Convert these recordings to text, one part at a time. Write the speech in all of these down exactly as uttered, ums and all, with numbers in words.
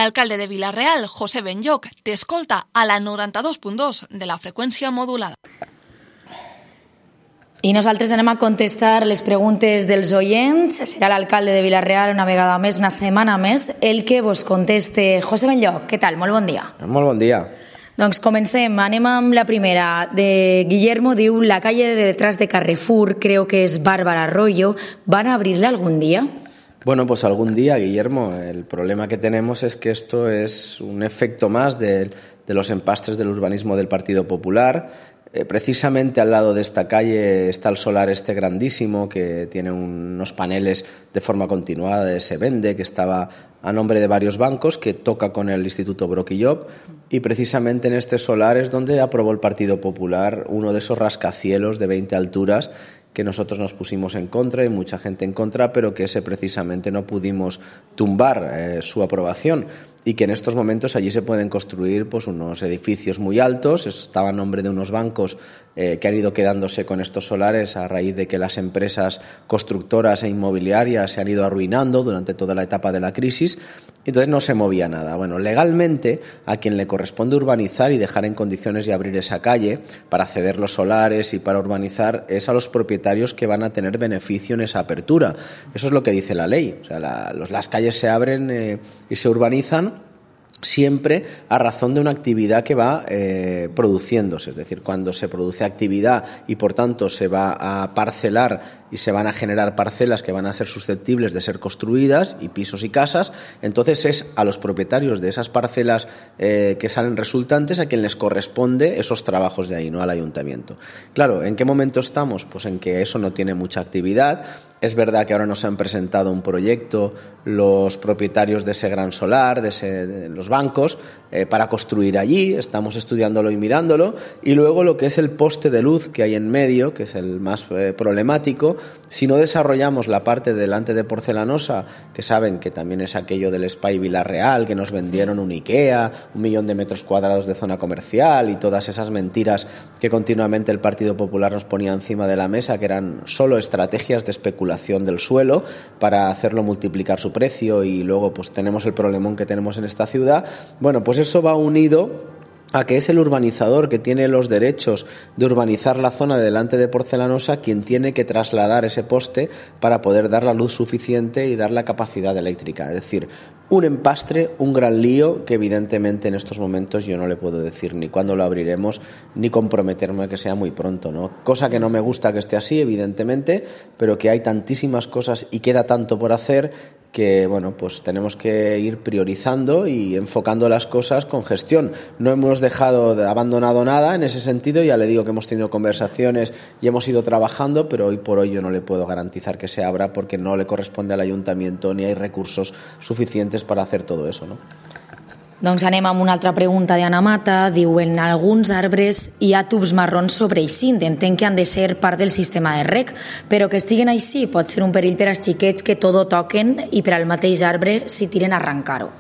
L'alcalde de Vila-real, José Benlloch, t'escolta a la noranta-dos punt dos de la freqüència modulada. I nosaltres anem a contestar les preguntes dels oients. Serà l'alcalde de Vila-real una vegada més, una setmana més, el que vos conteste. José Benlloch, què tal? Molt bon dia. Molt bon dia. Doncs comencem. Anem amb la primera. De Guillermo diu, la calle de detrás de Carrefour, creo que es Bárbara Arroyo, ¿van a abrirla algún día? Bueno, pues algún día, Guillermo. El problema que tenemos es que esto es un efecto más de, de los empastres del urbanismo del Partido Popular. Eh, precisamente al lado de esta calle está el solar este grandísimo que tiene unos paneles de forma continuada, se vende, que estaba a nombre de varios bancos, que toca con el Instituto Brock y Job, y precisamente en este solar es donde aprobó el Partido Popular uno de esos rascacielos de veinte alturas que nosotros nos pusimos en contra y mucha gente en contra, pero que ese precisamente no pudimos tumbar eh, su aprobación, y que en estos momentos allí se pueden construir pues unos edificios muy altos. Estaba a nombre de unos bancos eh, que han ido quedándose con estos solares a raíz de que las empresas constructoras e inmobiliarias se han ido arruinando durante toda la etapa de la crisis, entonces no se movía nada. Bueno, legalmente a quien le corresponde urbanizar y dejar en condiciones y abrir esa calle para ceder los solares y para urbanizar es a los propietarios que van a tener beneficio en esa apertura. Eso es lo que dice la ley. O sea, la, los, las calles se abren eh, y se urbanizan siempre a razón de una actividad que va eh, produciéndose. Es decir, cuando se produce actividad y por tanto se va a parcelar y se van a generar parcelas que van a ser susceptibles de ser construidas, y pisos y casas, entonces es a los propietarios de esas parcelas eh, que salen resultantes a quien les corresponde esos trabajos de ahí, no al ayuntamiento. Claro, ¿en qué momento estamos? Pues en que eso no tiene mucha actividad. Es verdad que ahora nos han presentado un proyecto los propietarios de ese gran solar, de, ese, de los bancos, eh, para construir allí. Estamos estudiándolo y mirándolo. Y luego lo que es el poste de luz que hay en medio, que es el más eh, problemático. Si no desarrollamos la parte delante de Porcelanosa, que saben que también es aquello del Spy Vila-real, que nos vendieron un IKEA, un millón de metros cuadrados de zona comercial y todas esas mentiras que continuamente el Partido Popular nos ponía encima de la mesa, que eran solo estrategias de especulación del suelo para hacerlo multiplicar su precio, y luego pues tenemos el problemón que tenemos en esta ciudad. Bueno, pues eso va unido a que es el urbanizador que tiene los derechos de urbanizar la zona de delante de Porcelanosa quien tiene que trasladar ese poste para poder dar la luz suficiente y dar la capacidad eléctrica. Es decir, un empastre, un gran lío que evidentemente en estos momentos yo no le puedo decir ni cuándo lo abriremos ni comprometerme a que sea muy pronto, ¿no? Cosa que no me gusta que esté así, evidentemente, pero que hay tantísimas cosas y queda tanto por hacer que bueno, pues tenemos que ir priorizando y enfocando las cosas con gestión. No hemos dejado de, abandonado nada en ese sentido. Ya le digo que hemos tenido conversaciones y hemos ido trabajando, pero hoy por hoy yo no le puedo garantizar que se abra porque no le corresponde al ayuntamiento ni hay recursos suficientes para hacer todo eso, ¿no? Doncs anem amb una altra pregunta d'Anna Mata. Diu, en alguns arbres hi ha tubs marrons sobreeixint. Entenc que han de ser part del sistema de rec, però que estiguen així pot ser un perill per als xiquets que tot ho toquen i per al mateix arbre si tiren a arrencar-ho.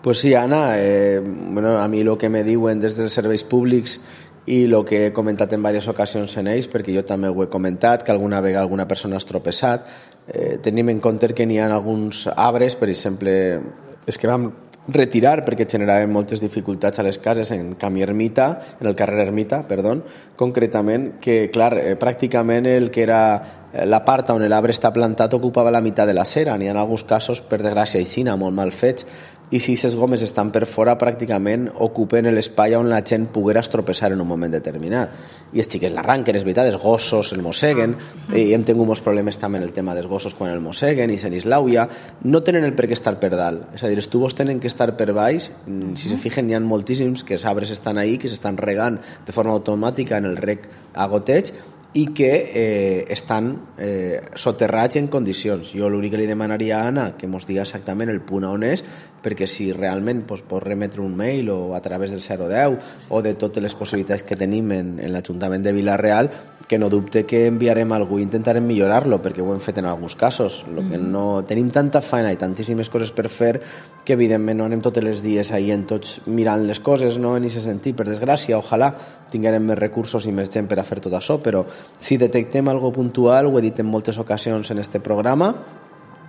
Pues sí, Ana, eh, bueno, a mi lo que me diuen des dels serveis públics i el que he comentat en diverses ocasions en ells, perquè jo també ho he comentat, que alguna vegada alguna persona has tropeçat, eh, tenim en compte que n'hi ha alguns arbres, per exemple, és que vam retirar perquè generaven moltes dificultats a les cases en Camí Ermita, en el carrer Ermita, perdó, concretament, que clar, eh, pràcticament el que era la part on l'arbre està plantat ocupava la meitat de la cera. N'hi ha alguns casos, per desgràcia, aixina, molt mal fets, i si aquestes gomes estan per fora pràcticament ocupen l'espai on la gent poguera estropeçar en un moment determinat. I els xiquets l'arranquen, és veritat, els gossos el mosseguen, i hem tingut molts problemes també en el tema dels gossos quan el mosseguen i se n'islauia. No tenen el per què estar per dalt, és a dir, els tubos tenen que estar per baix. Si se fijen, n'hi ha moltíssims que els arbres estan ahí, que s'estan regant de forma automàtica en el rec a goteig, i que eh, estan eh, soterrats en condicions. Jo l'únic que li demanaria a Anna que mos diga exactament el punt on és, perquè si realment pues, pot remetre un mail o a través del zero deu o de totes les possibilitats que tenim en, en l'Ajuntament de Vila-real, que no dubte que enviarem algú i intentarem millorar-lo, perquè ho hem fet en alguns casos. Lo que no, tenim tanta feina i tantíssimes coses per fer que evidentment no anem tots els dies ahí en tots mirant les coses, no en aquest sentit, per desgràcia. Ojalà tinguem més recursos i més gent per a fer tot això, però si detectem algo puntual, ho he dit en moltes ocasions en este programa,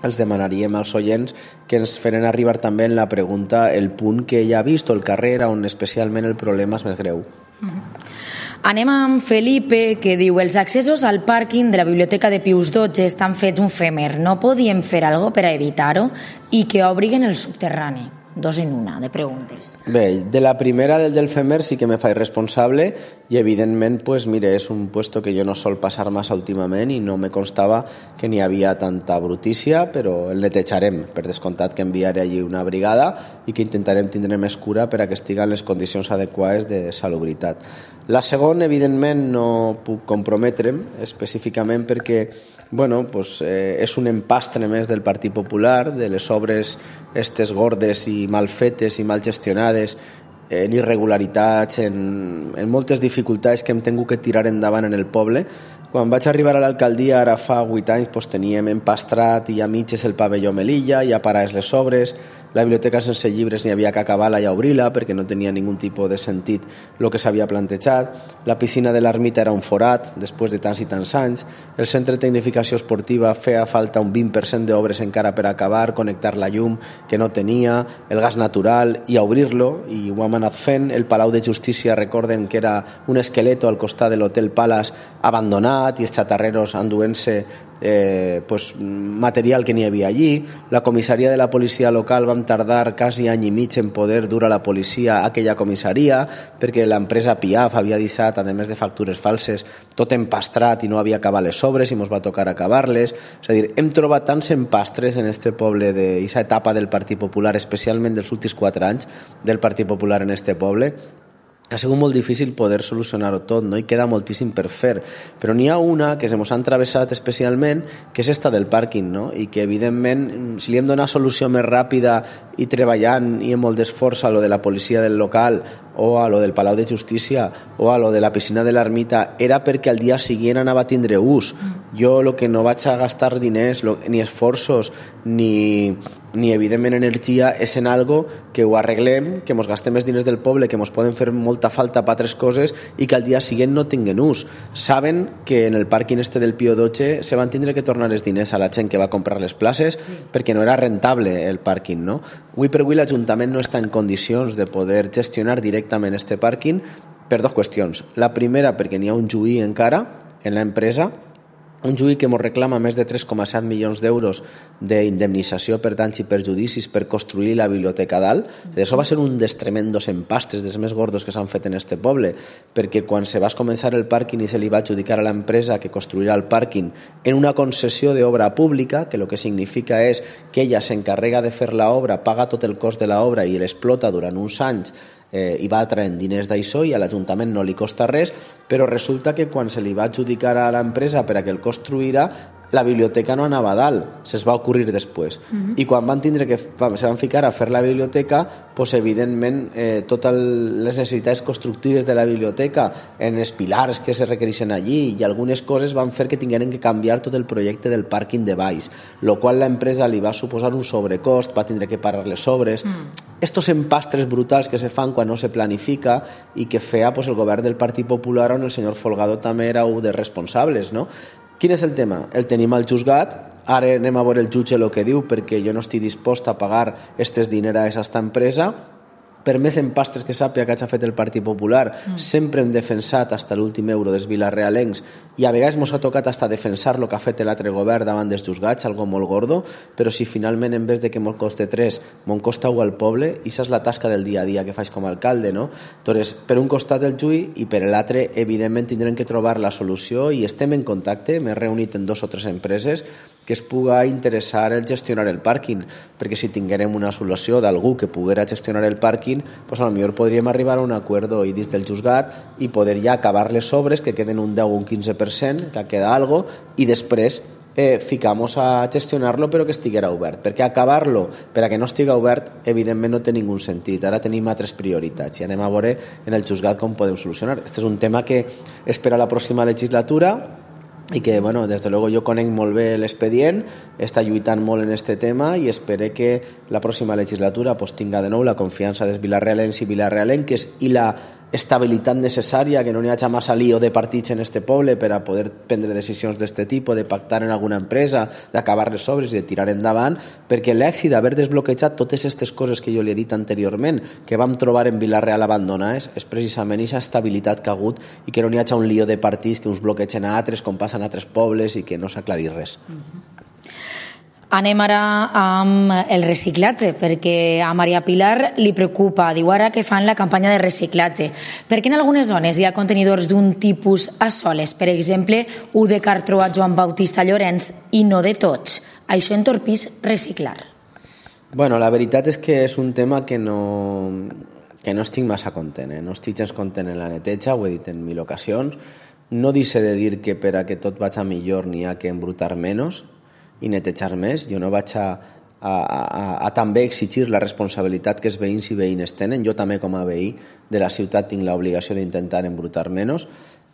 els demanaríem als oients que ens feren arribar també en la pregunta el punt que ella ha vist o el carrer on especialment el problema és més greu. Mm-hmm. Anem amb Felipe, que diu: els accessos al pàrquing de la Biblioteca de Pius dotze estan fets un femer. No podíem fer alguna cosa per a evitar-ho i que obriguen el subterrani? Dos en una, de preguntes. Bé, de la primera del del femer sí que me faig responsable i evidentment, pues, mire, és un puesto que jo no sol passar massa últimament i no me constava que n'hi havia tanta brutícia, però el netejarem, per descomptat que enviaré allí una brigada i que intentarem tindre més cura per a que estiguen les condicions adequades de salubritat. La segona, evidentment, no puc comprometre'm específicament perquè bueno, pues, eh, és un empastre més del Partit Popular, de les obres estes gordes i mal fetes i mal gestionades, en irregularitats, en, en moltes dificultats que hem tingut que tirar endavant en el poble. Quan vaig arribar a l'alcaldia, ara fa vuit anys, pues, teníem empastrat i a mitges el pavelló Melilla, ja parades les obres, la biblioteca sense llibres n'hi havia que acabar-la i obrir-la perquè no tenia ningun tipus de sentit el que s'havia plantejat, la piscina de l'ermita era un forat després de tants i tants anys, el centre de tecnificació esportiva feia falta un vint per cent d'obres encara per acabar, connectar la llum que no tenia, el gas natural i a obrir-lo, i ho hem anat fent. El Palau de Justícia, recorden que era un esqueleto al costat de l'Hotel Palace abandonat i els xatarreros enduent-se Eh, pues, material que n'hi havia allí. La comissaria de la policia local vam tardar quasi any i mig en poder dur a la policia a aquella comissaria perquè l'empresa Piaf havia deixat, a més de factures falses, tot empastrat i no havia acabat les obres i ens va tocar acabar-les. És a dir, hem trobat tants empastres en este poble d'aquesta etapa del Partit Popular, especialment dels últims quatre anys del Partit Popular en este poble, ha sigut molt difícil poder solucionar-ho tot, no? I queda moltíssim per fer, però n'hi ha una que se mos han travessat especialment, que és esta del pàrquing, no? I que evidentment, si li hem donat solució més ràpida i treballant i amb molt d'esforç a lo de la policia del local o a lo del Palau de Justícia o a lo de la piscina de l'ermita, era perquè al dia següent anava a tindre ús. Jo el que no vaig a gastar diners lo, ni esforços ni, ni evidentment energia és en algo que ho arreglem, que mos gastem més diners del poble, que mos poden fer molta falta per altres coses i que al dia següent no tinguen ús. Saben que en el pàrquing este del Pío dotze se van tindre que tornar els diners a la gent que va comprar les places, sí, perquè no era rentable el pàrquing, no? Avui per avui l'Ajuntament no està en condicions de poder gestionar directament este pàrquing per dues qüestions. La primera, perquè n'hi ha un juí encara en l'empresa, un juí que ens reclama més de tres coma set milions d'euros d'indemnització per danys i perjudicis per construir la biblioteca dalt. Això va ser un dels tremendos empastres, dels més gordos que s'han fet en este poble, perquè quan se va començar el pàrquing i se li va adjudicar a l'empresa que construirà el pàrquing en una concessió d'obra pública, que el que significa és que ella s'encarrega de fer l'obra, paga tot el cost de l'obra i l'explota durant uns anys, eh, i va traient diners d'això i a l'Ajuntament no li costa res, però resulta que quan se li va adjudicar a l'empresa per a que el construirà, la biblioteca no anava a dalt, se'ls va ocorrir després. Uh-huh. I quan van tindre que se van ficar a fer la biblioteca, pues, evidentment eh, totes les necessitats constructives de la biblioteca, en els pilars que se requereixen allí i algunes coses van fer que tingueren que canviar tot el projecte del pàrquing de baix, lo qual l'empresa li va suposar un sobrecost, va tindre que parar les obres. Mm. Estos empastres brutals que se fan quan no se planifica i que feia pues, el govern del Partit Popular on el senyor Folgado també era un dels responsables, no? Quin és el tema? El tenim al juzgat, ara anem a veure el jutge el que diu perquè jo no estic dispost a pagar estes diners a aquesta empresa. Per més empastres que sàpiga que hagi fet el Partit Popular, mm. sempre hem defensat fins l'últim euro dels vilarealencs i a vegades ens ha tocat fins defensar el que ha fet l'altre govern davant dels juzgats, algo molt gordo, però si finalment en vez de que me'n coste tres, me'n costa un al poble, i això és la tasca del dia a dia que faig com a alcalde, no? Entonces, per un costat el juí i per l'altre, evidentment, tindrem que trobar la solució i estem en contacte, m'he reunit en dos o tres empreses que es puga interessar el gestionar el pàrquing, perquè si tinguérem una solució d'algú que poguera gestionar el pàrquing, pues a lo millor podríem arribar a un acuerdo i dins del juzgat i poder ja acabar les obres, que queden un deu o un quinze per cent, que queda algo, i després eh, ficamos a gestionar-lo però que estiguera obert, perquè acabar-lo per a que no estiga obert evidentment no té ningú sentit. Ara tenim altres prioritats i anem a veure en el juzgat com podem solucionar. Este és un tema que espera la pròxima legislatura i que, bueno, des de luego jo conec molt bé l'expedient, està lluitant molt en este tema i espere que la pròxima legislatura pues, tinga de nou la confiança dels vilarealencs i vilarealenques i la estabilitat necessària, que no n'hi hagi massa lío de partits en este poble per a poder prendre decisions d'aquest tipus, de pactar en alguna empresa, d'acabar les obres i de tirar endavant, perquè l'èxit d'haver desbloquejat totes aquestes coses que jo li he dit anteriorment, que vam trobar en Vila-real abandonades, és precisament aquesta estabilitat que ha hagut i que no n'hi hagi un lío de partits que uns bloquegen a altres, com passen a altres pobles i que no s'aclarir res. Mm-hmm. Anem ara amb el reciclatge, perquè a Maria Pilar li preocupa. Diu ara que fan la campanya de reciclatge. Perquè en algunes zones hi ha contenidors d'un tipus a soles, per exemple, u de cartró a Joan Bautista Llorenç, i no de tots. Això entorpís reciclar. Bueno, la veritat és que és un tema que no, que no estic massa content. Eh? No estic gens content en la neteja, ho he dit en mil ocasions. No deixe de dir que per a que tot vagi millor n'hi ha que embrutar menys i netejar més. Jo no vaig a, a, a, a també exigir la responsabilitat que els veïns i veïnes tenen. Jo també com a veí de la ciutat tinc l'obligació d'intentar embrutar menys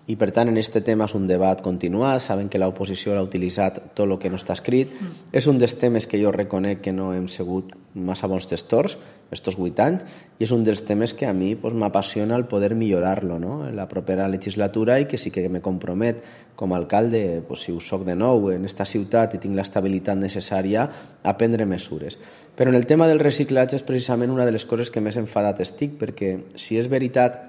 i per tant en aquest tema és un debat continuat. Saben que l'oposició l'ha utilitzat tot el que no està escrit. Mm. És un dels temes que jo reconec que no hem sigut massa bons gestors estos vuit anys i és un dels temes que a mi pues, m'apassiona el poder millorar-lo, no? En la propera legislatura i que sí que me compromet com a alcalde, pues, si ho soc de nou en esta ciutat i tinc l'estabilitat necessària a prendre mesures. Però en el tema del reciclatge és precisament una de les coses que més enfadat estic, perquè si és veritat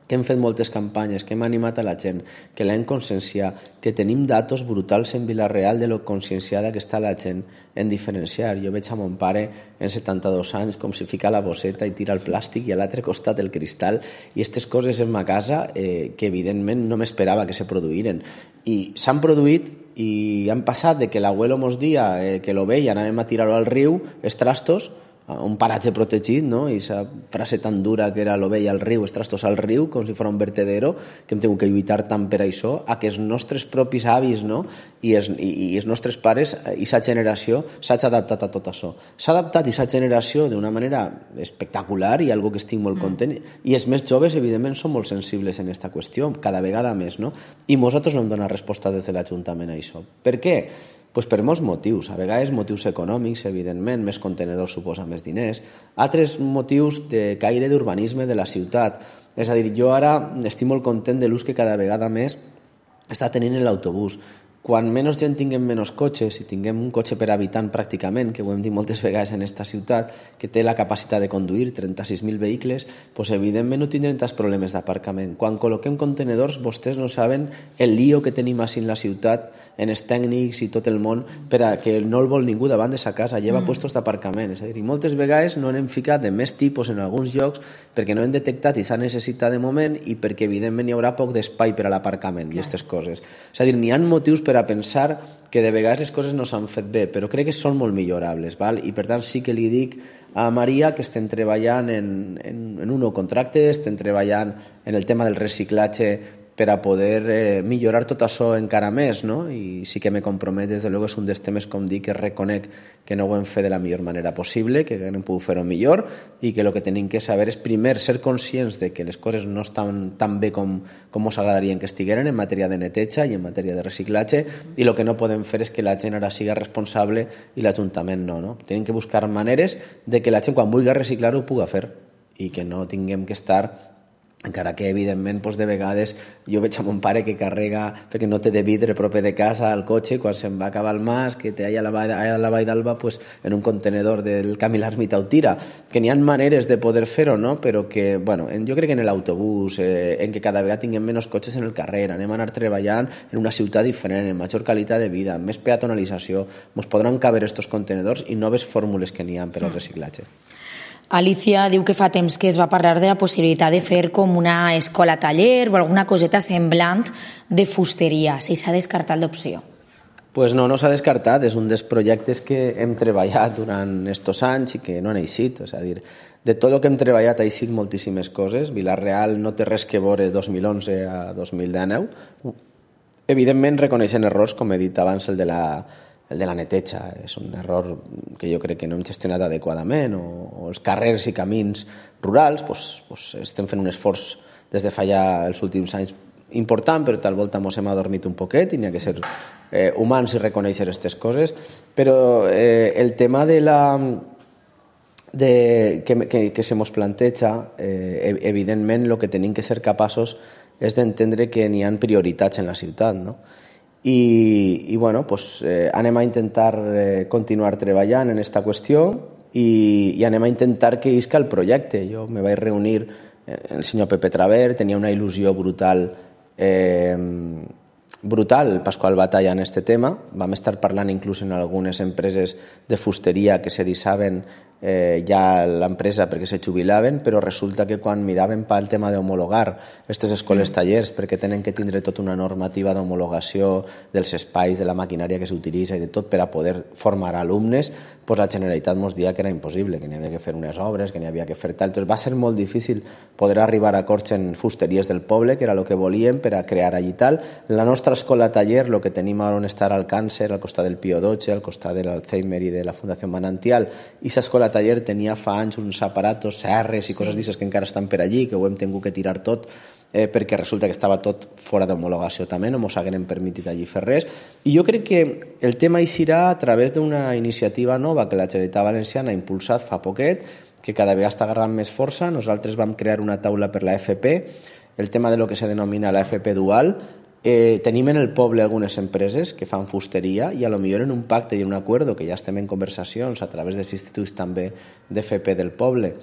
que hem fet moltes campanyes, que hem animat a la gent, que l'hem conscienciat, que tenim datos brutals en Vila-real de lo conscienciada que està la gent en diferenciar. Jo veig a mon pare en setanta-dos anys com si fica la bosseta i tira el plàstic i a l'altre costat el cristal i aquestes coses en ma casa eh, que evidentment no m'esperava que se produïren. I s'han produït i han passat de que l'abuelo mos dia eh, que lo veia, anàvem a tirar-ho al riu, els trastos, un paratge protegit, no? I aquesta frase tan dura que era l'ovella al riu, els trastos al riu, com si fos un vertedero, que hem tingut que lluitar tant per això, a que els nostres propis avis, no? I, els, i, i els nostres pares, i aquesta generació, s'ha adaptat a tot això. S'ha adaptat aquesta generació d'una manera espectacular i algo que estic molt content. Mm. I els més joves, evidentment, són molt sensibles en aquesta qüestió, cada vegada més, no? I nosaltres no hem donat resposta des de l'Ajuntament a això. Per què? Pues per molts motius, a vegades motius econòmics, evidentment, més contenedors suposa més diners, altres motius de caire d'urbanisme de la ciutat. És a dir, jo ara estic molt content de l'ús que cada vegada més està tenint l'autobús. Quan menys gent tinguem menys cotxes i tinguem un cotxe per habitant pràcticament, que ho hem dit moltes vegades en aquesta ciutat, que té la capacitat de conduir trenta-sis mil vehicles, doncs evidentment no tindrem tants problemes d'aparcament. Quan col·loquem contenedors, vostès no saben el lío que tenim així en la ciutat, en els tècnics i tot el món, per a que no el vol ningú davant de sa casa, lleva mm. puestos d'aparcament. És a dir, i moltes vegades no n'hem ficat de més tipus en alguns llocs perquè no hem detectat i s'ha necessitat de moment i perquè evidentment hi haurà poc d'espai per a l'aparcament i aquestes coses. És a dir, n'hi ha motius per a pensar que de vegades les coses no s'han fet bé, però crec que són molt millorables, val? I per tant sí que li dic a Maria que estem treballant en, en, en un nou contracte, estem treballant en el tema del reciclatge per a poder eh, millorar tot això encara més, no? I sí que me compromet, des de luego, és un dels temes, com dic, que reconec que no ho hem fet de la millor manera possible, que hem pogut fer-ho millor i que el que tenim que saber és, primer, ser conscients de que les coses no estan tan bé com, com ens agradarien que estigueren en matèria de neteja i en matèria de reciclatge, i el que no podem fer és que la gent ara siga responsable i l'Ajuntament no, no? Tenim que buscar maneres de que la gent, quan vulgui reciclar, ho pugui fer i que no tinguem que estar, encara que evidentment doncs, de vegades jo veig a mon pare que carrega perquè no té de vidre proper de casa al cotxe quan se'n va acabar el mas, que té allà a la vall, allà a la vall d'Alba pues, en un contenedor del Camí l'Ermita ho tira, que n'hi ha maneres de poder fer-ho, no? Però que, bueno, jo crec que en l'autobús, eh, en que cada vegada tinguem menys cotxes en el carrer, anem a anar treballant en una ciutat diferent, en major qualitat de vida, més peatonalització, ens podran caber estos contenedors i noves fórmules que n'hi ha per al reciclatge. Alicia diu que fa temps que es va parlar de la possibilitat de fer com una escola-taller o alguna coseta semblant de fusteria, si s'ha descartat l'opció. Pues no, no s'ha descartat, és un dels projectes que hem treballat durant estos anys i que no han eixit, és a dir, de tot el que hem treballat ha eixit moltíssimes coses. Vila-real no té res que veure dos mil onze a dos mil dinou. Evidentment reconeixen errors, com he dit abans, el de la el de la neteja, és un error que jo crec que no hem gestionat adequadament, o, o els carrers i camins rurals, doncs, doncs estem fent un esforç des de fa ja els últims anys important, però tal volta ens hem adormit un poquet i n'hi ha que ser eh, humans i reconèixer aquestes coses, però eh, el tema de la de, que, que, que se mos planteja, eh, evidentment el que tenim que ser capaços és d'entendre que n'hi ha prioritats en la ciutat, no? I, i bueno, pues, eh, anem a intentar eh, continuar treballant en aquesta qüestió i, i anem a intentar que isca el projecte. Jo me vaig reunir amb el senyor Pepe Traver, tenia una il·lusió brutal eh, brutal Pasqual Batalla en este tema. Vam estar parlant inclús en algunes empreses de fusteria que se dissaven eh, ja l'empresa perquè se jubilaven, però resulta que quan miraven pel tema d'homologar aquestes escoles tallers, perquè tenen que tindre tota una normativa d'homologació dels espais, de la maquinària que s'utilitza i de tot per a poder formar alumnes, pues la Generalitat ens dia que era impossible, que n'hi havia que fer unes obres, que n'hi havia que fer tal. Entonces va ser molt difícil poder arribar a acords en fusteries del poble, que era el que volíem per a crear allí tal. La nostra escola taller, el que tenim on estar al Càncer, al costat del Pío dotze, al costat de l'Alzheimer i de la Fundació Manantial, i l'escola taller tenia fa anys uns aparatos, serres i coses sí. d'aixes que encara estan per allí, que ho hem tingut que tirar tot, eh, perquè resulta que estava tot fora d'homologació també, no mos hagueren permitit allí fer res. I jo crec que el tema eixirà a través d'una iniciativa nova que la Generalitat Valenciana ha impulsat fa poquet, que cada vegada està agarrant més força. Nosaltres vam crear una taula per la F P, el tema de lo que se denomina la F P dual. Eh, tenim en el poble algunes empreses que fan fusteria i a lo millor en un pacte i en un acuerdo, que ja estem en conversacions a través dels instituts també d'F P del poble,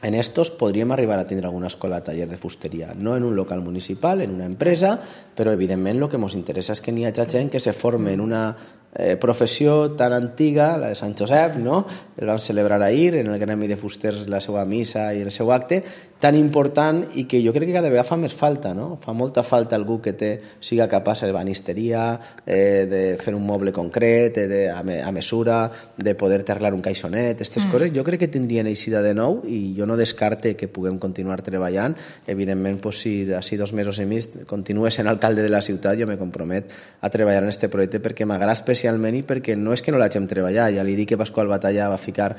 en estos podríem arribar a tindre alguna escola taller de fusteria, no en un local municipal, en una empresa, però evidentment el que ens interessa és que n'hi hagi gent que se forme en una eh, professió tan antiga, la de Sant Josep, no? El vam celebrar ahir en el Gremi de Fusters la seva missa i el seu acte, tan important i que jo crec que cada vegada fa més falta, no? Fa molta falta algú que té, siga capaç de banisteria, eh, de fer un moble concret, de, a, me, a mesura, de poder arreglar un caixonet, aquestes mm. coses, jo crec que tindrien eixida de nou i jo no descarte que puguem continuar treballant. Evidentment, pues, si d'ací dos mesos i mig continues sent alcalde de la ciutat, jo me compromet a treballar en aquest projecte perquè m'agrada especialment i perquè no és que no l'hagem treballat. Ja li dic que Pasqual Batalla va ficar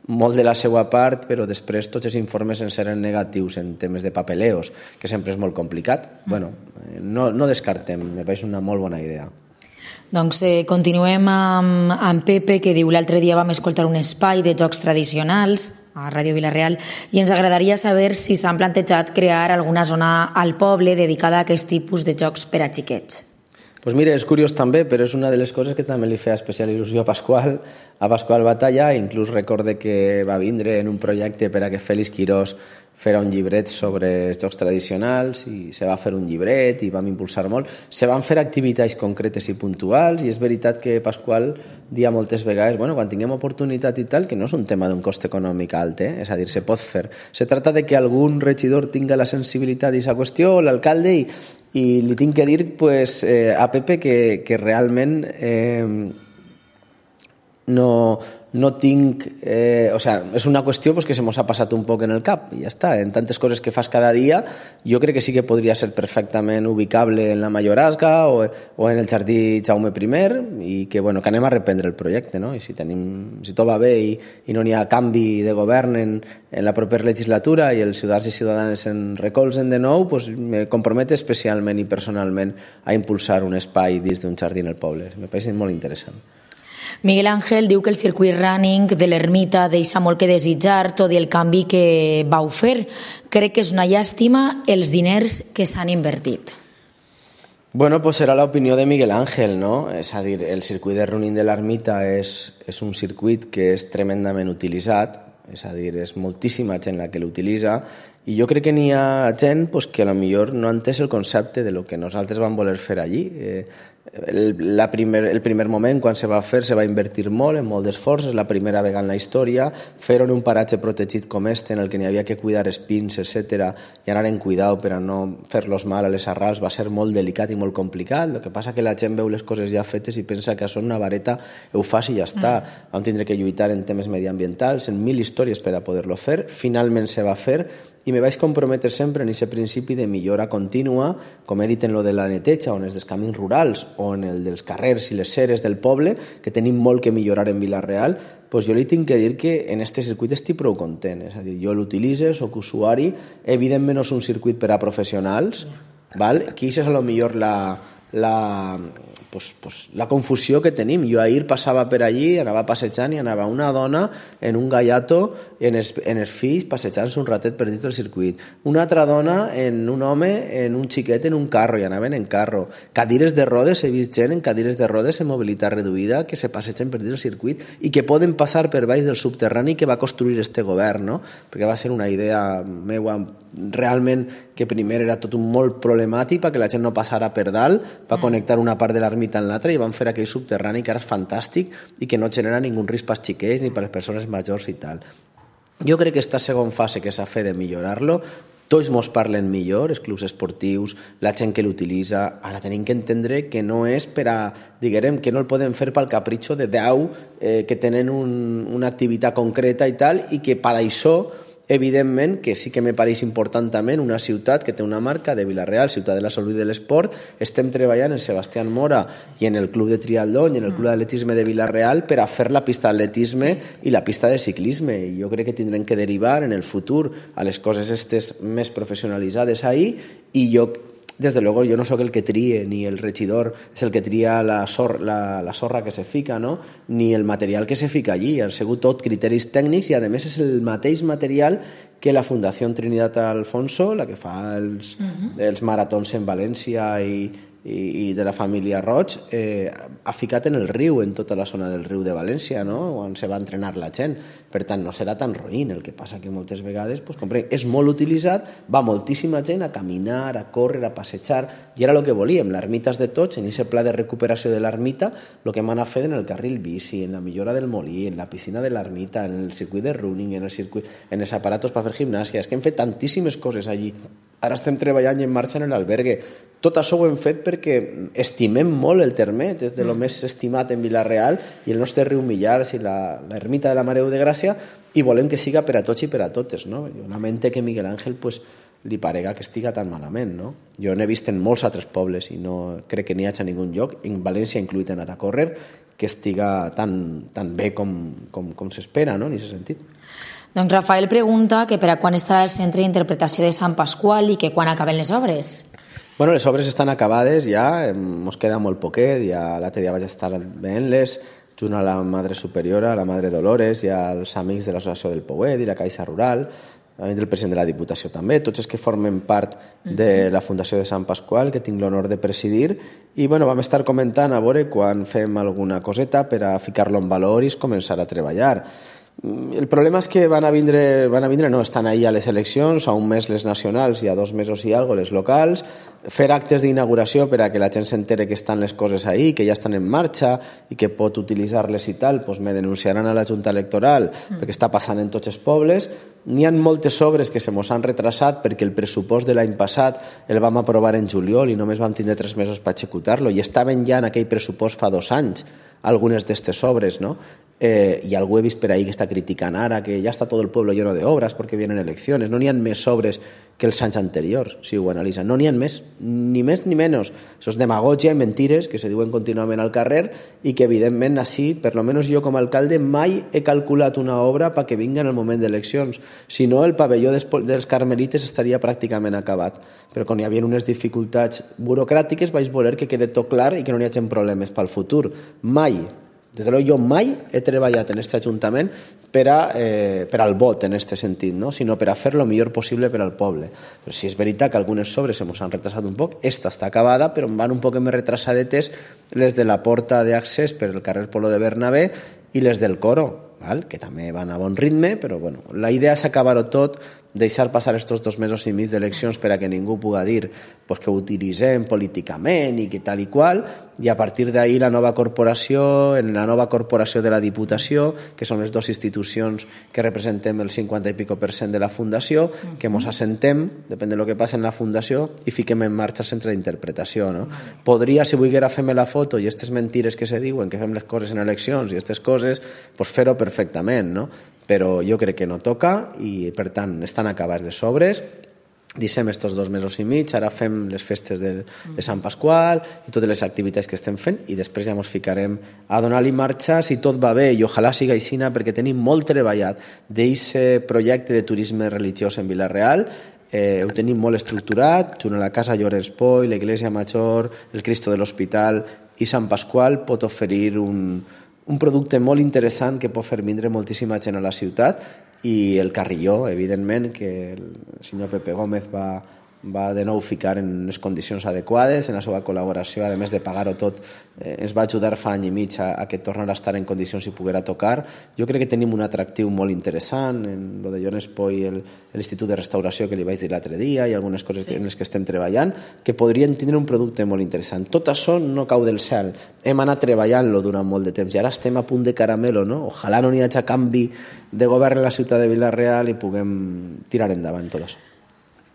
molt de la seva part, però després tots els informes ens eren negatius en temes de papeleos, que sempre és molt complicat. Mm. Bueno, no, no descartem, me pareix una molt bona idea. Doncs eh, continuem amb, amb Pepe, que diu: l'altre dia vam escoltar un espai de jocs tradicionals a Ràdio Vila-real i ens agradaria saber si s'han plantejat crear alguna zona al poble dedicada a aquest tipus de jocs per a xiquets. Pues mira, és curiós també, però és una de les coses que també li feia especial il·lusió a Pasqual, a Pasqual Batalla. Inclús recorde que va vindre en un projecte per a que Félix Quirós fera un llibret sobre els jocs tradicionals i se va fer un llibret i vam impulsar molt. Se van fer activitats concretes i puntuals i és veritat que Pasqual dia moltes vegades, bueno, quan tinguem oportunitat i tal, que no és un tema d'un cost econòmic alt, eh? És a dir, se pot fer. Se trata de que algun regidor tinga la sensibilitat d'aquesta qüestió, l'alcalde, i, i li tinc que dir pues, eh, a Pepe que, que realment eh, no... no tinc... Eh, o sea, és una qüestió pues, que se mos ha passat un poc en el cap i ja està. En tantes coses que fas cada dia, jo crec que sí que podria ser perfectament ubicable en la Mayorazga o, o en el Jardí Jaume primer i que, bueno, que anem a reprendre el projecte, no? I si, tenim, si tot va bé i, i no n'hi ha canvi de govern en, en la propera legislatura i els ciutadans i ciutadanes en recolzen de nou, pues, me comprometo especialment i personalment a impulsar un espai dins d'un jardí en el poble. Me pareix molt interessant. Miguel Ángel diu que el circuit running de l'Ermita deixa molt que desitjar, tot i el canvi que vau fer. Crec que és una llàstima els diners que s'han invertit. Bueno, pues serà l'opinió de Miguel Ángel, no? És a dir, el circuit de running de l'Ermita és, és un circuit que és tremendament utilitzat, és a dir, és moltíssima gent la que l'utilitza i jo crec que n'hi ha gent pues, que a lo millor no ha entès el concepte de lo que nosaltres vam voler fer allí. Eh, el, la primer, el primer moment quan se va fer se va invertir molt, en molt d'esforç, és la primera vegada en la història, fer-ho en un paratge protegit com este en el que n'hi havia que cuidar espins, etcètera, i anar en cuidau per a no fer-los mal a les arrels, va ser molt delicat i molt complicat. El que passa que la gent veu les coses ja fetes i pensa que són una vareta, ho fas i ja està. Mm. Vam tindre que lluitar en temes mediambientals, en mil històries per a poder-lo fer. Finalment se va fer i me vaig comprometre sempre en aquest principi de millora contínua, com he dit en lo de la neteja, on és dels camins rurals, o en el dels carrers i les ceres del poble, que tenim molt que millorar en Vila-real, pues jo li tinc que dir que en este circuit estic prou content. És a dir, jo l'utilitzo, soc usuari, evidentment no és un circuit per a professionals, val? Aquí és a lo millor la... la pues, pues la confusió que tenim. Jo ahir passava per allí, anava passejant i anava una dona en un gallato en els, en els fills passejant-se un ratet per dins del circuit. Una altra dona en un home, en un xiquet en un carro, i anaven en carro. Cadires de rodes, he vist gent en cadires de rodes en mobilitat reduïda que se passegen per dins del circuit i que poden passar per baix del subterrani que va construir este govern, no? Perquè va ser una idea meua realment que primer era tot un molt problemàtic perquè la gent no passara per dalt, va connectar una part de l'ermita en l'altra i van fer aquell subterrani que ara és fantàstic i que no genera ningú risc pels xiquets ni per les persones majors i tal. Jo crec que esta segona fase que s'ha fet de millorar-lo, tots mos parlen millor, els clubs esportius, la gent que l'utilitza. Ara tenim que entendre que no és per a, diguem, que no el podem fer pel capritxo de deu eh, que tenen un, una activitat concreta i tal, i que per això evidentment que sí que me pareix important també una ciutat que té una marca de Vila-real, ciutat de la salut i de l'esport. Estem treballant en Sebastián Mora i en el club de triatlón i en el club d'atletisme de Vila-real per a fer la pista d'atletisme i la pista de ciclisme, i jo crec que tindrem que derivar en el futur a les coses estes més professionalitzades ahí. I jo, desde luego, yo no soy el que tríe, ni el regidor es el que tría la, sor, la, la sorra que se fica, no? Ni el material que se fica allí. Han sigut tot criteris tècnics i, a més, és el mateix material que la Fundació Trinitat Alfonso, la que fa els, uh-huh. els maratons en València i, i, i de la família Roig, eh, ha ficat en el riu, en tota la zona del riu de València, no? On se va entrenar la gent. Per tant, no serà tan roïn. El que passa que moltes vegades, pues, comprenc, és molt utilitzat, va moltíssima gent a caminar, a córrer, a passejar, i era el que volíem. L'ermita és de tots, en aquest pla de recuperació de l'ermita, el que hem anat fent en el carril bici, en la millora del molí, en la piscina de l'ermita, en el circuit de running, en el circuit, en els aparatos per fer gimnàsia. És que hem fet tantíssimes coses allí. Ara estem treballant i en marxa en l'albergue. Tot això ho hem fet perquè estimem molt el Termet, és de lo més estimat en Vila-real, i el nostre riu Millars i l'ermita de la Mare de Gràcia, i volem que siga per a tots i per a totes, no? Jo lamente que Miguel Ángel pues, li parega que estiga tan malament, no? Jo n'he vist en molts altres pobles i no crec que n'hi hagi a ningun lloc, en València incluït en a córrer, que estiga tan, tan bé com, com, com s'espera, no? En aquest sentit. Doncs Rafael pregunta que per a quan estarà el centre d'interpretació de Sant Pasqual i que quan acaben les obres. Bueno, les obres estan acabades ja, ens queda molt poquet, ja l'altre dia vaig estar veient-les, junt a la Madre Superiora, a la Madre Dolores i als amics de l'Associació del Pouet i la Caixa Rural, el president de la Diputació també, tots els que formen part de la Fundació de Sant Pasqual, que tinc l'honor de presidir, i bueno, vam estar comentant a veure quan fem alguna coseta per a ficar-lo en valor i començar a treballar. El problema és que van a vindre, van a vindre, no, estan ahí a les eleccions, a un mes les nacionals i a dos mesos i algo les locals, fer actes d'inauguració per a que la gent s'entere que estan les coses ahí, que ja estan en marxa i que pot utilitzar-les i tal, doncs me denunciaran a la Junta Electoral mm. perquè està passant en tots els pobles. N'hi ha moltes obres que se mos han retrasat perquè el pressupost de l'any passat el vam aprovar en juliol i només vam tindre tres mesos per executar-lo, i estaven ja en aquell pressupost fa dos anys algunes d'aquestes obres, no? Eh, i algú he vist per ahí que està criticant ara que ja està tot el pueblo lleno de obras porque vienen elecciones. No n'hi ha més obres que els anys anteriors, si ho analitzen. No n'hi ha més, ni més ni menys. Això és demagogia i mentires que se diuen contínuament al carrer i que evidentment així, per lo menos jo com a alcalde, mai he calculat una obra perquè vinga en el moment d'eleccions. Si no, el pavelló dels Carmelites estaria pràcticament acabat. Però quan hi havia unes dificultats burocràtiques vaig voler que quede tot clar i que no hi hagi problemes pel futur. Mai. Des de jo mai he treballat en aquest Ajuntament per, a, eh, per al vot en aquest sentit, no? Sinó per a fer el millor possible per al poble. Però sí és veritat que algunes obres se mos han retrasat un poc, esta està acabada, però van un poc més retrasadetes les de la porta d'accés per el carrer Polo de Bernabé i les del coro, val? Que també van a bon ritme, però bueno, la idea és acabar-ho tot, deixar passar estos dos mesos i mig d'eleccions per a que ningú pugui dir pues, que ho utilitzem políticament i que tal i qual, i a partir d'ahir la nova corporació, en la nova corporació de la Diputació, que són les dues institucions que representem el cinquanta i pico per cent de la Fundació, que mos assentem, depèn de lo que passa en la Fundació, i fiquem en marxa el centre d'interpretació, no? Podria, si volguera fer-me la foto i aquestes mentires que se diuen, que fem les coses en eleccions i aquestes coses, pues fer-ho perfectament, no? Però jo crec que no toca i, per tant, estan acabades les obres. Deixem estos dos mesos i mig, ara fem les festes de, de Sant Pasqual i totes les activitats que estem fent i després ja ens ficarem a donar-li marxa si tot va bé, i ojalà siga aixina perquè tenim molt treballat d'aquest projecte de turisme religiós en Vila-real. Eh, ho tenim molt estructurat, junt a la Casa Llorenç Poi, l'Església Major, el Cristo de l'Hospital i Sant Pasqual pot oferir un, un producte molt interessant que pot fer vindre moltíssima gent a la ciutat, i el Carrilló, evidentment, que el senyor Pepe Gómez va va de nou ficar en unes condicions adequades, en la seva col·laboració, a més de pagar-ho tot, eh, ens va ajudar fa any i mig a, a que tornara a estar en condicions i poguera tocar. Jo crec que tenim un atractiu molt interessant en lo de Joan Espoi, l'Institut de Restauració que li vaig dir l'altre dia, i algunes coses sí. en les que estem treballant, que podrien tindre un producte molt interessant. Tot això no cau del cel. Hem anat treballant-lo durant molt de temps i ara estem a punt de caramelo, no? Ojalà no n'hi hagi canvi de govern a la ciutat de Vila-real i puguem tirar endavant tot això.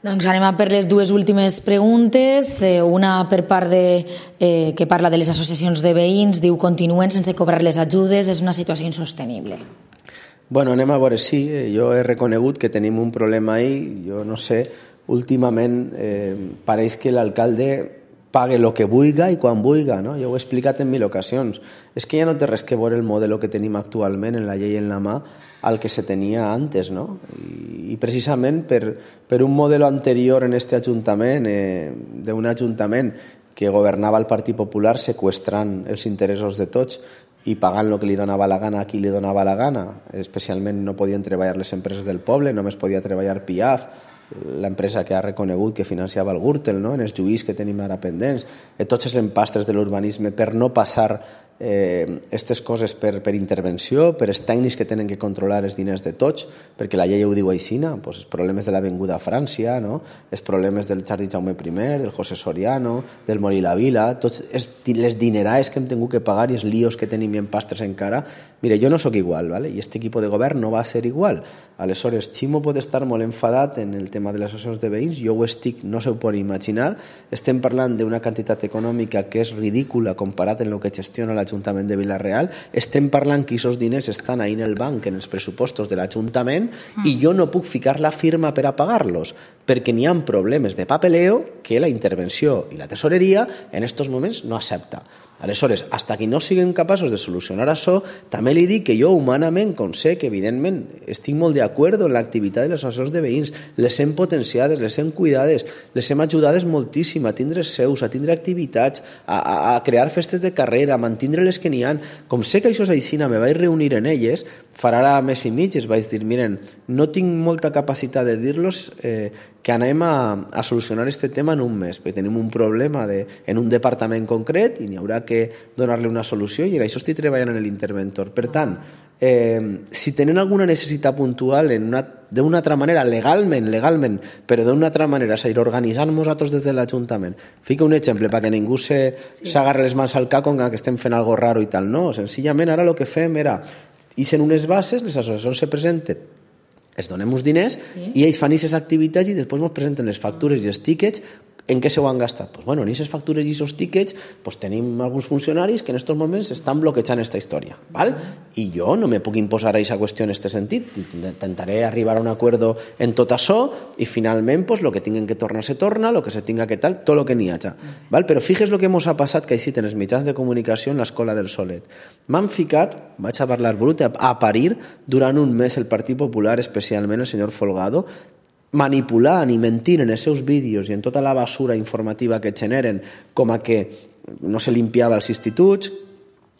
Doncs anem a per les dues últimes preguntes. Eh, una per part de, eh, que parla de les associacions de veïns, diu continuen sense cobrar les ajudes, és una situació insostenible. Bueno, anem a veure, sí, jo he reconegut que tenim un problema ahí, jo no sé, últimament eh, pareix que l'alcalde pague el que vulga i quan vulga, no? Jo ho he explicat en mil ocasions. És que ja no té res que veure el model que tenim actualment en la llei en la mà al que se tenia antes, no? I, i precisament per, per un model anterior en este ajuntament, eh, d'un ajuntament que governava el Partit Popular seqüestrant els interessos de tots i pagant el que li donava la gana a qui li donava la gana, especialment no podien treballar les empreses del poble, només podia treballar Piaf, l'empresa que ha reconegut que financiava el Gürtel, no? En els juís que tenim ara pendents, eh, tots els empastres de l'urbanisme per no passar aquestes eh, coses per, per intervenció, per els tècnics que tenen que controlar els diners de tots, perquè la llei ho diu aixina, pues, els problemes de l'Avinguda Frància, no? Els problemes del Jardí Jaume primer, del José Soriano, del Molí la Vila, tots els, les dineraes que hem tingut que pagar i els líos que tenim i empastres encara. Mire, jo no sóc igual, ¿vale? I este equip de govern no va ser igual. Aleshores, Ximo pot estar molt enfadat en el tema de les associacions de veïns, jo ho estic, no s'ho pot imaginar. Estem parlant d'una quantitat econòmica que és ridícula comparat amb el que gestiona l'Ajuntament de Vila-real. Estem parlant que aquests diners estan ahí en el banc, en els pressupostos de l'Ajuntament, mm. i jo no puc ficar la firma per a pagar-los, perquè n'hi ha problemes de papeleo que la intervenció i la tesoreria en aquests moments no accepta. Aleshores, fins que no siguem capaços de solucionar això, també li dic que jo humanament, com sé que evidentment estic molt d'acord en l'activitat de les associacions de veïns, les hem potenciades, les hem cuidades, les hem ajudades moltíssim a tindre seus, a tindre activitats, a, a, a crear festes de carrera, a mantindre les que n'hi ha. Com sé que això és així, me vaig reunir en elles, farà ara mes i mig, es vaig dir, miren, no tinc molta capacitat de dir-los eh, que anem a, a solucionar este tema en un mes, perquè tenim un problema de, en un departament concret i n'hi haurà que donar-li una solució i en això estic treballant en l'interventor. Per tant, eh, si tenen alguna necessitat puntual d'una altra manera, legalment, legalment, però d'una altra manera, és a dir, organitzant-nos nosaltres des de l'Ajuntament. Fica un exemple perquè ningú s'agarra les mans al cap com que estem fent algo raro i tal. No, senzillament ara el que fem era, ixen unes bases, les associacions se presenten, es donem uns diners sí. i ells fan aquestes activitats i després ens presenten les factures i els tíquets. En què s'ho han gastat? Pues bueno, en aquestes factures i aquests tíquets pues tenim alguns funcionaris que en aquests moments estan bloquejant aquesta història. ¿Val? I jo no me puc imposar a aquesta qüestió en aquest sentit. Intentaré arribar a un acord en tot això i finalment pues, lo que tinguen que tornar se torna, lo que se tinga que tal, tot lo que n'hi haja. ¿Val? Però fixes lo que ens ha passat que així en els mitjans de comunicació en l'escola del Solet. M'han ficat, vaig a parlar brut, a parir durant un mes el Partit Popular, especialment el senyor Folgado, manipulant i mentint en els seus vídeos i en tota la basura informativa que generen, com a que no se limpiava els instituts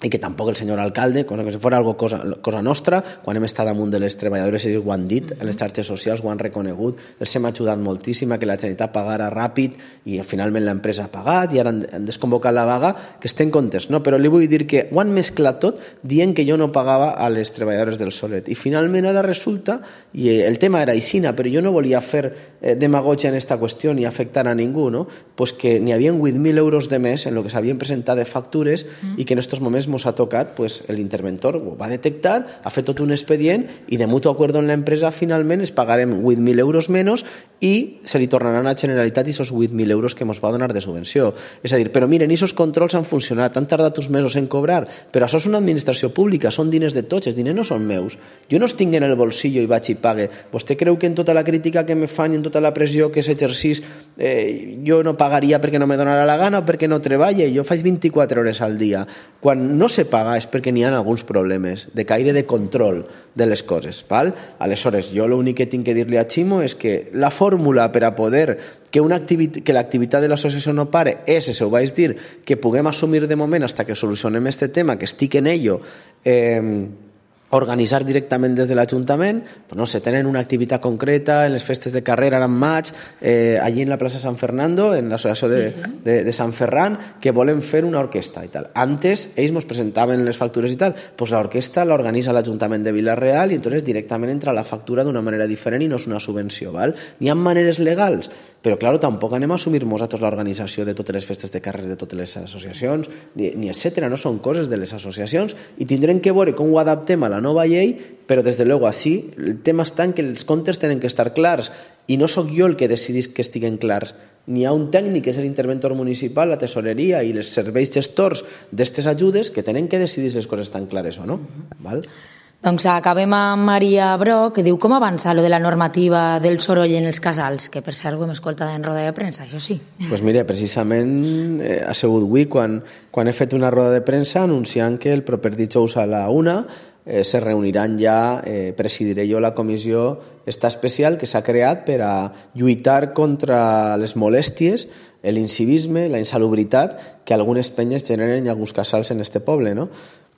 i que tampoc el senyor alcalde, cosa que si fos algo cosa, cosa nostra, quan hem estat damunt de les treballadores ells ho han dit, en les xarxes socials ho han reconegut, els hem ajudat moltíssim a que la Generalitat pagara ràpid i finalment l'empresa ha pagat i ara han, han desconvocat la vaga, que estem contents, no? Però li vull dir que ho han mesclat tot dient que jo no pagava a les treballadores del Solet i finalment ara resulta, i el tema era aixina, però jo no volia fer eh, demagogia en aquesta qüestió ni afectar a ningú, no? Pues que n'hi havia vuit mil euros de més en el que s'havien presentat de factures mm. i que en aquests moments ens ha tocat, pues, l'interventor ho va detectar, ha fet tot un expedient i de mutuo acuerdo en l'empresa finalment es pagarem vuit mil euros menys i se li tornaran a la Generalitat i esos vuit mil euros que ens va donar de subvenció. És a dir, però miren, aquests controls han funcionat, han tardat uns mesos en cobrar, però això és una administració pública, són diners de tots, els diners no són meus. Jo no els tinc en el bolsillo i vaig i pague. Vostè creu que en tota la crítica que me fan i en tota la pressió que s'exercís eh, jo no pagaria perquè no me donarà la gana o perquè no treballe? Jo faig vint-i-quatre hores al dia. Quan no se paga és perquè n'hi ha alguns problemes de caire de control de les coses. Val? Aleshores, jo l'únic que tinc que dir-li a Ximo és que la forma fórmula per a poder que, una activitat, que l'activitat de l'associació no pare és, se ho vaig dir, que puguem assumir de moment fins que solucionem este tema, que estic en ello, eh, organitzar directament des de l'Ajuntament, pues no sé, tenen una activitat concreta en les festes de carrera ara en maig, eh, allí en la plaça San Fernando, en l'associació de, sí, sí. de, de Sant Ferran, que volen fer una orquestra i tal. Antes, ells ens presentaven les factures i tal, pues l'orquestra l'organitza l'Ajuntament de Vila-real i entonces directament entra la factura d'una manera diferent i no és una subvenció, val? N'hi ha maneres legals, però claro, tampoc anem a assumir nosaltres l'organització de totes les festes de carrera de totes les associacions, ni, ni etcètera, no són coses de les associacions i tindrem que veure com ho adaptem a la nova llei, però des de luego així el tema està en que els comptes tenen que estar clars i no sóc jo el que decidís que estiguen clars. N'hi ha un tècnic, que és l'interventor municipal, la tesoreria i els serveis gestors d'aquestes ajudes que tenen que decidir si les coses estan clares o no. Val? Doncs acabem amb Maria Broc, que diu com avança lo de la normativa del soroll en els casals, que per cert ho hem escoltat en roda de premsa, això sí. Doncs pues mira, precisament eh, ha sigut avui quan, quan he fet una roda de premsa anunciant que el proper dijous a la una eh, se reuniran ja, eh, presidiré jo la comissió esta especial que s'ha creat per a lluitar contra les molèsties, l'incivisme, la insalubritat que algunes penyes generen en alguns casals en este poble, no?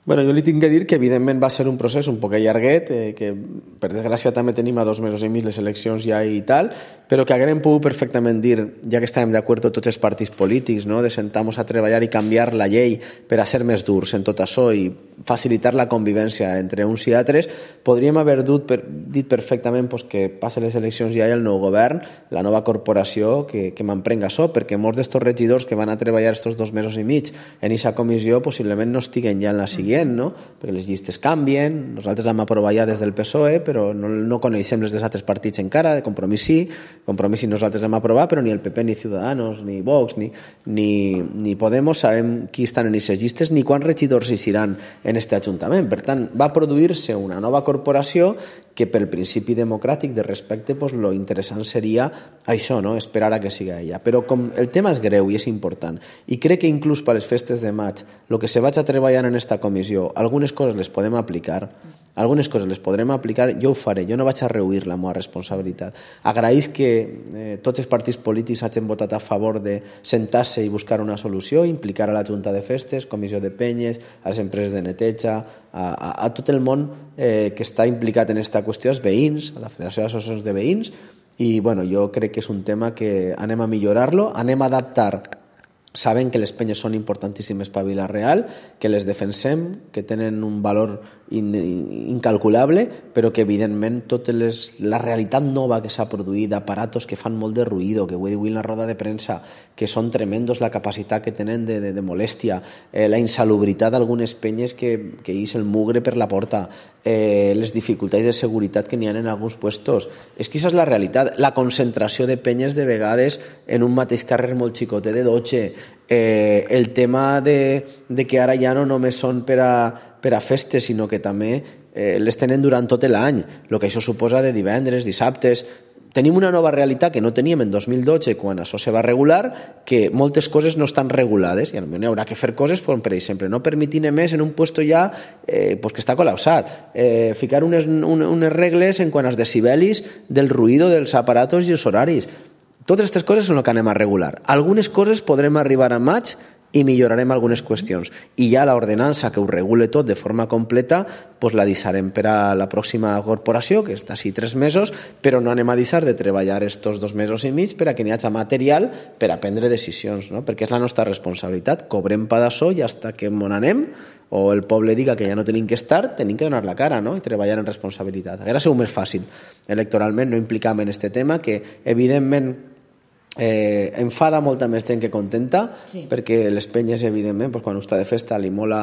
Bueno, jo li tinc que dir que evidentment va ser un procés un poc allarguet, eh, que per desgràcia també tenim a dos mesos i mig les eleccions ja i tal, però que haguem pogut perfectament dir, ja que estàvem d'acord tots els partits polítics, no? De sentar-nos a treballar i canviar la llei per a ser més durs en tot això i facilitar la convivència entre uns i altres, podríem haver dut, per, dit perfectament pues, que passen les eleccions ja i el nou govern, la nova corporació, que, que m'emprenga això, perquè molts d'estos regidors que van a treballar estos dos mesos i mig en aquesta comissió possiblement no estiguen ja en la següent, no? Perquè les llistes canvien, nosaltres hem aprovat ja des del P S O E, però no, no coneixem les dels altres partits encara, de Compromís sí, Compromís sí nosaltres hem aprovat, però ni el P P, ni Ciudadanos, ni Vox, ni, ni, ni Podemos sabem qui estan en aquestes llistes, ni quants regidors hi seran en este Ajuntament. Per tant, va produir-se una nova corporació que pel principi democràtic de respecte pues, lo interessant seria això, no? Esperar a que siga ella. Però com el tema és greu i és important, i crec que inclús per les festes de maig, el que se vaig a treballar en esta comissió, algunes coses les podem aplicar, algunes coses les podrem aplicar, jo ho faré, jo no vaig a rehuir la meva responsabilitat. Agraïs que eh, tots els partits polítics hagin votat a favor de sentar-se i buscar una solució, implicar a la Junta de Festes, Comissió de Penyes, a les empreses de neteja, a, a, a tot el món eh, que està implicat en aquesta qüestió, els veïns, a la Federació d'Associacions de Veïns, i bueno, jo crec que és un tema que anem a millorar-lo, anem a adaptar. Saben que les penyes són importantíssimes per Vila-real, que les defensem, que tenen un valor in, incalculable, però que evidentment tota les, la realitat nova que s'ha produït, aparatos que fan molt de ruïdo, que ho he dit en la roda de premsa, que són tremendos la capacitat que tenen de, de, de molèstia, eh, la insalubritat d'algunes penyes que, que ix el mugre per la porta, eh, les dificultats de seguretat que n'hi ha en alguns puestos. És que això és la realitat, la concentració de penyes de vegades en un mateix carrer molt xicotet de dotze, Eh, el tema de, de que ara ja no només són per a, per a festes, sinó que també eh, les tenen durant tot l'any, el que això suposa de divendres, dissabtes. Tenim una nova realitat que no teníem en dos mil dotze quan això se va regular, que moltes coses no estan regulades i potser hi haurà que fer coses, com per exemple no permitir més en un puesto ja eh, pues que està col·lapsat, eh, ficar unes, unes regles en quant als decibelis del ruïdo dels aparatos i els horaris. Totes aquestes coses són el que anem a regular. Algunes coses podrem arribar a maig i millorarem algunes qüestions. I ja l'ordenança que ho regule tot de forma completa pues la deixarem per a la pròxima corporació, que està així tres mesos, però no anem a deixar de treballar estos dos mesos i mig per a que n'hi hagi material per a prendre decisions, no? Perquè és la nostra responsabilitat. Cobrem pa d'això i fins que m'on anem o el poble diga que ja no tenim que estar, tenim que donar la cara, no? I treballar en responsabilitat. Hauria sigut més fàcil electoralment no implicar en aquest tema, que evidentment Eh, enfada molta més gent que contenta, sí. Perquè les penyes evidentment pues, quan està de festa li mola,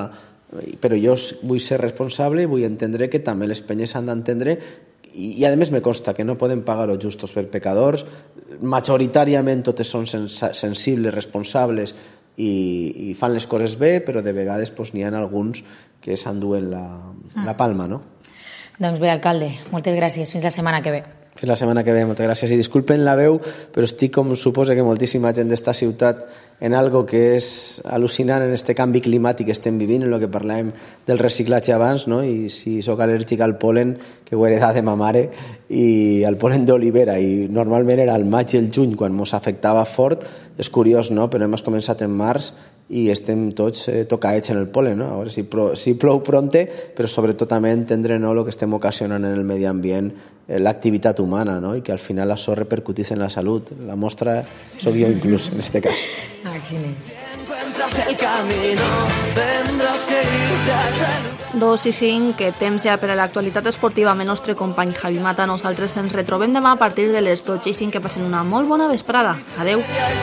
però jo vull ser responsable i vull entendre que també les penyes han d'entendre i, i a més me consta que no poden pagar els justos per pecadors, majoritàriament totes són sens sensibles, responsables i, i fan les coses bé, però de vegades pues, n'hi ha alguns que s'enduen la, la palma, no? Doncs bé, alcalde, moltes gràcies, fins la setmana que ve. Fins la setmana que ve, moltes gràcies. I disculpen la veu, però estic, com suposa que moltíssima gent d'esta ciutat, en algo que és al·lucinant en este canvi climàtic que estem vivint, en el que parlàvem del reciclatge abans, no? I si sóc al·lèrgic al polen, que ho he heredat de ma mare, i al polen d'olivera, i normalment era el maig i el juny quan mos afectava fort. És curiós, no? Però hem començat en març i estem tots eh, tocaets en el polen, no? A veure si, pro, si plou pronte, però sobretot també entendre, no, el que estem ocasionant en el medi ambient, eh, l'activitat humana, no? I que al final això repercutís en la salut. La mostra sóc jo inclús, en este cas. Dos i cinc, que temps ja per a l'actualitat esportiva amb el nostre company Javi Mata. Nosaltres ens retrobem demà a partir de les dotze i cinc. Que passen una molt bona vesprada. Adeu.